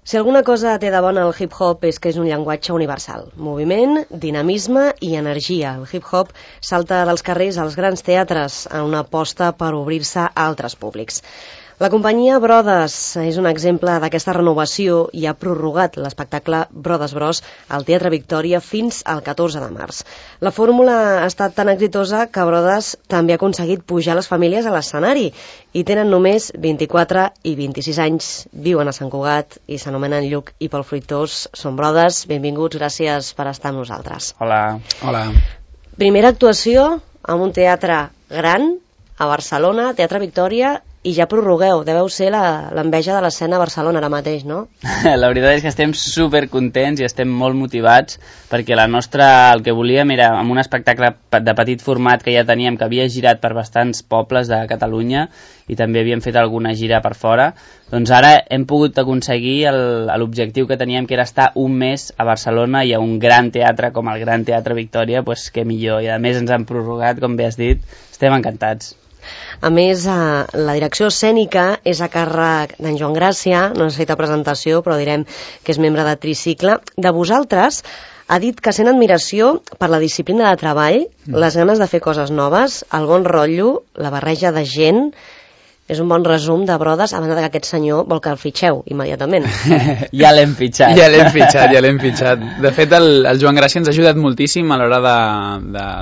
Si alguna cosa té de bona el hip-hop és que és un llenguatge universal. Moviment, dinamisme i energia. El hip-hop salta dels carrers als grans teatres en una aposta per obrir-se a altres públics. La companyia Brothers és un exemple d'aquesta renovació i ha prorrogat l'espectacle Brothers Bros al Teatre Victòria fins al 14 de març. La fórmula ha estat tan exitosa que Brothers també ha aconseguit pujar les famílies a l'escenari i tenen només 24 i 26 anys, viuen a Sant Cugat i s'anomenen Lluc i Pol Fruitós. Són Brothers, benvinguts, gràcies per estar amb nosaltres. Hola. Hola. Primera actuació en un teatre gran a Barcelona, Teatre Victòria, i ja prorrogueu, deveu ser l'enveja de l'escena a Barcelona ara mateix, no? La veritat és que estem supercontents i estem molt motivats perquè el que volíem era amb un espectacle de petit format que ja teníem, que havia girat per bastants pobles de Catalunya i també havíem fet alguna gira per fora, doncs ara hem pogut aconseguir l'objectiu que teníem, que era estar un mes a Barcelona i a un gran teatre com el Gran Teatre Victòria, doncs què millor, i a més ens han prorrogat, com bé has dit, estem encantats. A més, la direcció escènica és a càrrec d'en Joan Gràcia, no necessita presentació, però direm que és membre de Tricicle. De vosaltres ha dit que sent admiració per la disciplina de treball, les ganes de fer coses noves, el bon rotllo, la barreja de gent. És un bon resum de Brothers, a banda que aquest senyor vol que el fitxeu immediatament. Ja l'hem fitxat. Ja l'hem fitxat. De fet, el Joan Gràcia ens ha ajudat moltíssim a l'hora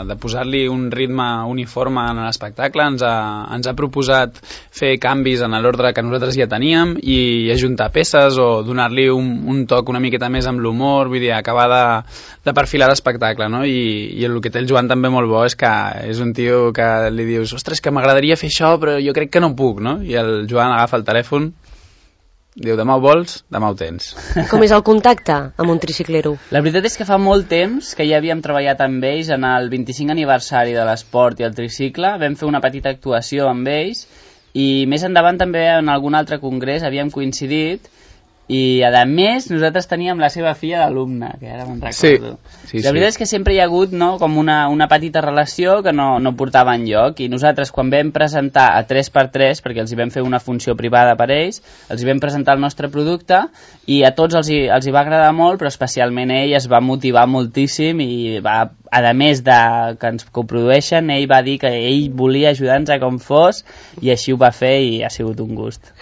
de posar-li un ritme uniforme en l'espectacle. Ens ha proposat fer canvis en l'ordre que nosaltres ja teníem i ajuntar peces o donar-li un toc una miqueta més amb l'humor, vull dir, acabar de perfilar l'espectacle, no? I el que té el Joan també molt bo és que és un tio que li dius, ostres, que m'agradaria fer això, però jo crec que no puc, no? I el Joan agafa el telèfon, diu, demà ho vols, demà ho tens. Com és el contacte amb un triciclero? La veritat és que fa molt temps que ja havíem treballat amb ells en el 25 aniversari de l'esport i el tricicle, vam fer una petita actuació amb ells i més endavant també en algun altre congrés havíem coincidit i a més nosaltres teníem la seva filla d'alumne, que ara me'n recordo. Sí. La veritat és que sempre hi ha hagut, no, com una petita relació que no portava enlloc, i nosaltres quan vam presentar a 3x3, perquè els hi vam fer una funció privada per ells, els hi vam presentar el nostre producte i a tots els hi va agradar molt, però especialment ell es va motivar moltíssim i va, a més de que ens coprodueixen, ell va dir que ell volia ajudar-nos a com fos i així ho va fer i ha sigut un gust.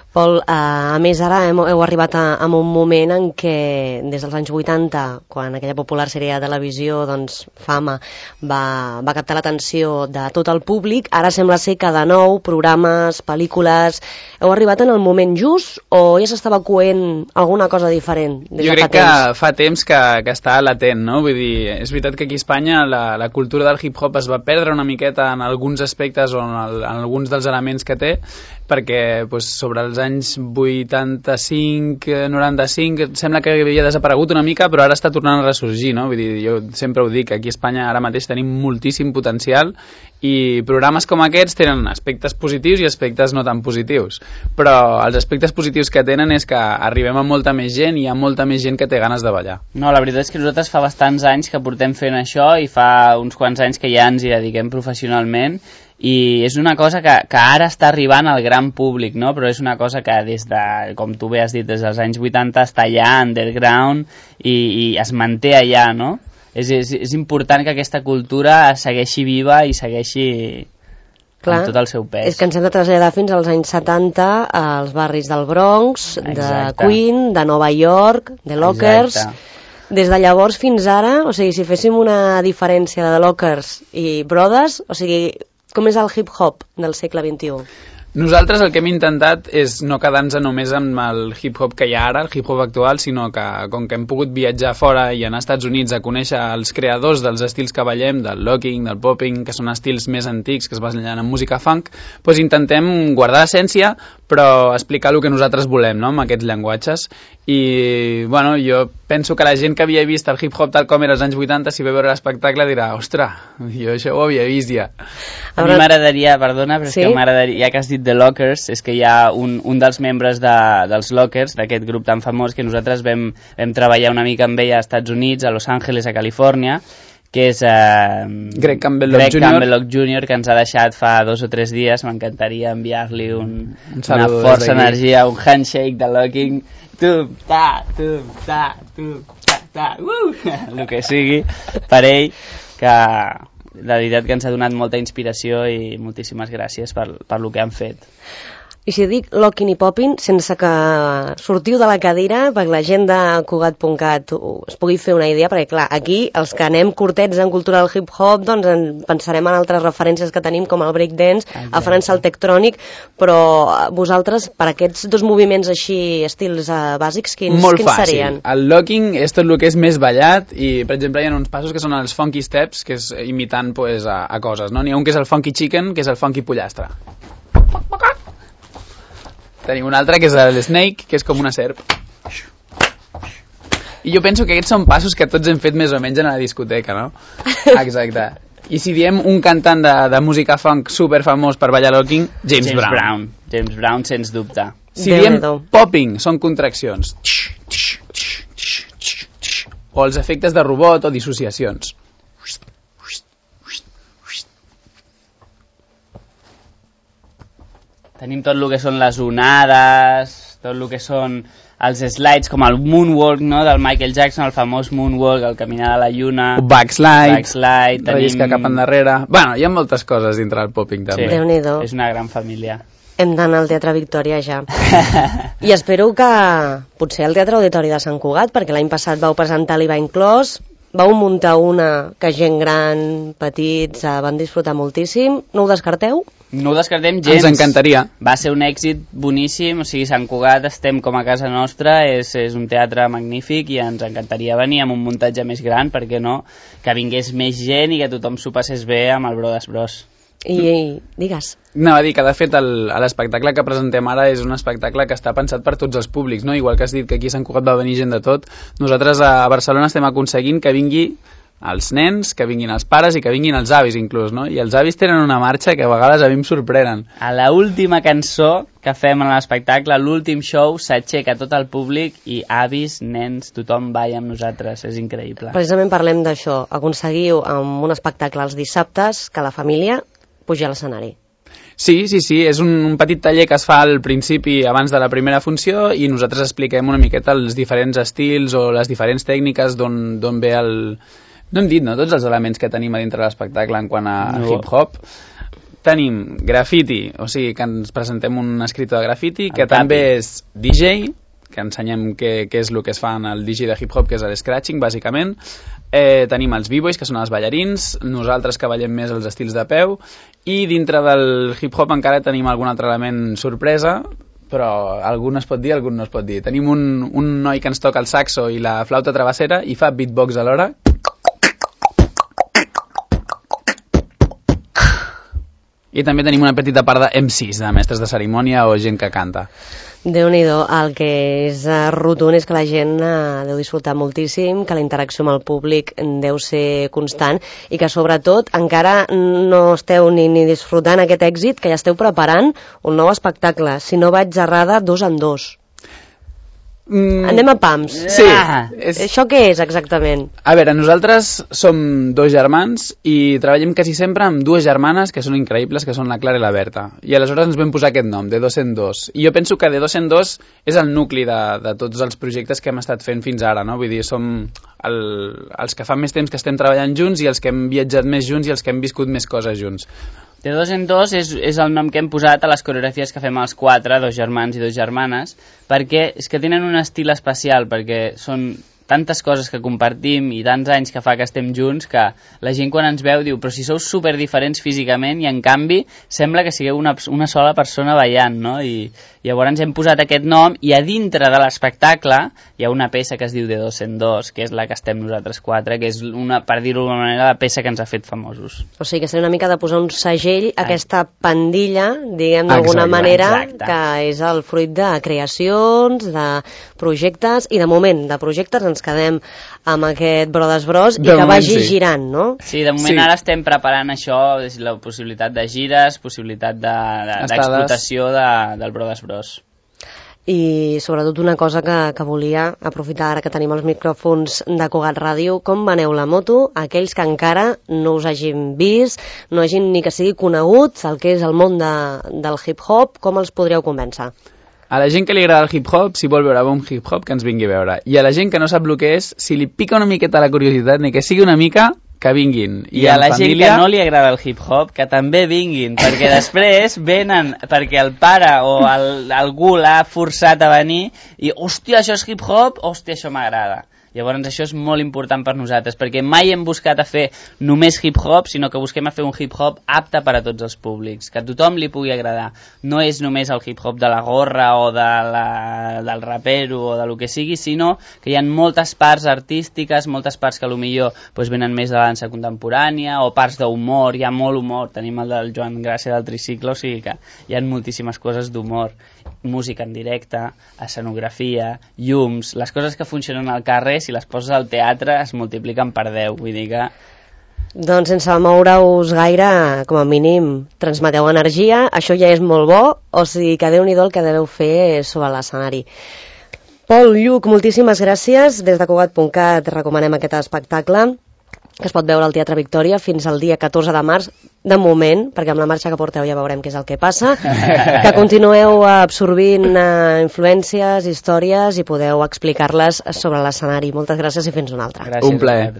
Pol, a més ara heu arribat a un moment en què des dels anys 80, quan aquella popular sèrie de televisió, doncs Fama, va captar l'atenció de tot el públic, ara sembla ser que de nou programes, pel·lícules, heu arribat en el moment just o ja s'estava coent alguna cosa diferent des de fa temps? Jo crec que fa temps que està latent, no? Vull dir, és veritat que aquí a Espanya la cultura del hip-hop es va perdre una miqueta en alguns aspectes o en alguns dels elements que té, perquè sobre els anys 85-95 sembla que havia desaparegut una mica, però ara està tornant a ressorgir, no? Vull dir, jo sempre ho dic, aquí a Espanya ara mateix tenim moltíssim potencial i programes com aquests tenen aspectes positius i aspectes no tan positius, però els aspectes positius que tenen és que arribem a molta més gent i hi ha molta més gent que té ganes de ballar. No, la veritat és que nosaltres fa bastants anys que portem fent això i fa uns quants anys que ja ens hi dediquem professionalment i és una cosa que ara està arribant al gran públic, no? Però és una cosa que des de, com tu bé has dit, des dels anys 80 està allà, underground, i es manté allà, no? És important que aquesta cultura segueixi viva i segueixi amb tot el seu pes. És que ens hem de traslladar fins als anys 70 als barris del Bronx, de Queen, de Nova York, de Lockers. Des de llavors fins ara, o sigui, si féssim una diferència de The Lockers i Brothers, o sigui, com és el hip-hop del segle XXI? Nosaltres el que hem intentat és no quedar-nos només amb el hip-hop que hi ha ara, el hip-hop actual, sinó que com que hem pogut viatjar fora i anar als Estats Units a conèixer els creadors dels estils que ballem, del locking, del popping, que són estils més antics que es basen en música funk, doncs intentem guardar l'essència però explicar el que nosaltres volem, no?, amb aquests llenguatges. I bueno, jo penso que la gent que havia vist el hip-hop tal com era als anys 80, si ve a veure l'espectacle dirà, ostres, jo això ho havia vist ja. A mi m'agradaria, perdona, però és que m'agradaria, ja que has dit The Lockers, és que hi ha un dels membres dels Lockers, d'aquest grup tan famós, que nosaltres vam treballar una mica amb ell als Estats Units, a Los Angeles, a Califòrnia, que és Greg Campbell-Lock Jr. Campbell-Lock Jr., que ens ha deixat fa 2 o 3 dies. M'encantaria enviar-li una força energia, un handshake de Locking. El que sigui per ell, que la veritat que ens ha donat molta inspiració i moltíssimes gràcies per lo que han fet. I si dic Locking i Popping, sense que sortiu de la cadira, perquè la gent de Cugat.cat es pugui fer una idea, perquè clar, aquí els que anem curtets en cultura del hip-hop, doncs en pensarem en altres referències que tenim, com el breakdance, a França el tectrònic, però vosaltres, per aquests 2 moviments així, estils bàsics, quins serien? El locking és tot el que és més ballat i, per exemple, hi ha uns passos que són els funky steps, que és imitant pues, a coses, no? N'hi ha un que és el funky chicken, que és el funky pollastre. Tenim un altre que és el snake, que és com una serp. I jo penso que aquests són passos que tots hem fet més o menys en la discoteca, no? Exacte. I si diem un cantant de música funk superfamós per ballar locking, James Brown. James Brown, sens dubte. Si diem popping, són contraccions. O els efectes de robot o dissociacions. Tenim tot el que són les onades, tot el que són els slides, com el moonwalk, no?, del Michael Jackson, el famós moonwalk, el caminar a la lluna. Backslide, relliscar cap endarrere. Bueno, hi ha moltes coses dintre del popping, també. Sí, Déu-n'hi-do. És una gran família. Hem d'anar al Teatre Victòria ja. I espero que potser al Teatre Auditori de Sant Cugat, perquè l'any passat vau presentar l'Iva Inclòs, vau muntar una que gent gran, petits, van disfrutar moltíssim. No ho descarteu? No ho descartem gens. Ens encantaria. Va ser un èxit boníssim, o sigui, Sant Cugat estem com a casa nostra, és un teatre magnífic i ens encantaria venir amb un muntatge més gran, perquè no, que vingués més gent i que tothom s'ho passés bé amb el Brothers Bros. I digues. Anava a dir que de fet l'espectacle que presentem ara és un espectacle que està pensat per tots els públics, no? Igual que has dit que aquí a Sant Cugat va venir gent de tot, nosaltres a Barcelona estem aconseguint que vingui els nens, que vinguin els pares i que vinguin els avis inclús, no? I els avis tenen una marxa que a vegades a mi em sorprenen. A l'última cançó que fem en l'espectacle, l'últim show, s'aixeca tot el públic i avis, nens, tothom balla amb nosaltres, és increïble. Precisament parlem d'això, aconseguiu amb un espectacle els dissabtes que la família pugi a l'escenari. Sí, és un petit taller que es fa al principi abans de la primera funció i nosaltres expliquem una miqueta els diferents estils o les diferents tècniques d'on ve el... No hem dit, no?, tots els elements que tenim a dintre l'espectacle en quant a hip-hop. Tenim graffiti, o sigui que ens presentem un escriptor de graffiti, que també és DJ, que ensenyem què és el que es fa en el DJ de hip-hop, que és el scratching, bàsicament. Tenim els b-boys, que són els ballarins, nosaltres que ballem més els estils de peu, i dintre del hip-hop encara tenim algun altre element sorpresa, però algun es pot dir, algun no es pot dir. Tenim un noi que ens toca el saxo i la flauta travessera i fa beatbox alhora. I també tenim una petita part de MCs, de mestres de cerimònia o gent que canta. Déu-n'hi-do, el que és rotund és que la gent deu disfrutar moltíssim, que la interacció amb el públic deu ser constant i que sobretot encara no esteu ni disfrutant aquest èxit, que ja esteu preparant un nou espectacle, si no vaig errada, 2 en 2. Anem a pams. Sí. Això què és exactament? A veure, nosaltres som 2 germans i treballem quasi sempre amb 2 germanes que són increïbles, que són la Clara i la Berta. I aleshores ens vam posar aquest nom, de 2 en 2. I jo penso que de 2 en 2 és el nucli de tots els projectes que hem estat fent fins ara, no? Vull dir, som els que fa més temps que estem treballant junts i els que hem viatjat més junts i els que hem viscut més coses junts. De 2 en 2 és el nom que hem posat a les coreografies que fem els 4, 2 germans i 2 germanes, perquè és que tenen un estil especial, perquè són tantes coses que compartim i tants anys que fa que estem junts que la gent quan ens veu diu però si sou super diferents físicament i en canvi sembla que sigueu una sola persona ballant, no? I llavors hem posat aquest nom i a dintre de l'espectacle hi ha una peça que es diu de 2 en 2, que és la que estem nosaltres 4, que és per dir-ho d'alguna manera, la peça que ens ha fet famosos. O sigui que seria una mica de posar un segell a aquesta pandilla, diguem d'alguna manera, que és el fruit de creacions, de projectes, i de moment de projectes ens quedem amb aquest Brothers Bros i que vagi girant, no? Sí, de moment ara estem preparant això, la possibilitat de gires, possibilitat d'explotació del Brothers Bros. I sobretot una cosa que volia aprofitar ara que tenim els micròfons de Cugat Ràdio, com veneu la moto aquells que encara no us hagin vist, no hagin ni que sigui conegut el que és el món del hip-hop, com els podríeu convèncer? A la gent que li agrada el hip-hop, si vol veure bon hip-hop, que ens vingui a veure. I a la gent que no sap el que és, si li pica una miqueta la curiositat, ni que sigui una mica, que vinguin. I a la gent que no li agrada el hip-hop, que també vinguin, perquè després venen perquè el pare o algú l'ha forçat a venir i, hòstia, això és hip-hop, hòstia, això m'agrada. Llavors això és molt important per nosaltres, perquè mai hem buscat a fer només hip-hop, sinó que busquem a fer un hip-hop apte per a tots els públics, que a tothom li pugui agradar. No és només el hip-hop de la gorra o del rapero o de lo que sigui, sinó que hi ha moltes parts artístiques, moltes parts que potser doncs, venen més de la dansa contemporània o parts d'humor, hi ha molt humor. Tenim el del Joan Gràcia del tricicle, o sigui que hi ha moltíssimes coses d'humor. Música en directe, escenografia, llums, les coses que funcionen al carrer, si les poses al teatre es multipliquen per 10, vull dir que... Doncs sense moure-us gaire, com a mínim, transmeteu energia, això ja és molt bo, o sigui que Déu-n'hi-do el que deveu fer sobre l'escenari. Pol, Lluc, moltíssimes gràcies. Des de Cugat.cat recomanem aquest espectacle, que es pot veure al Teatre Victòria fins al dia 14 de març, de moment, perquè amb la marxa que porteu ja veurem què és el que passa, que continueu absorbint influències, històries i podeu explicar-les sobre l'escenari. Moltes gràcies i fins una altra. Gràcies. Un plaer.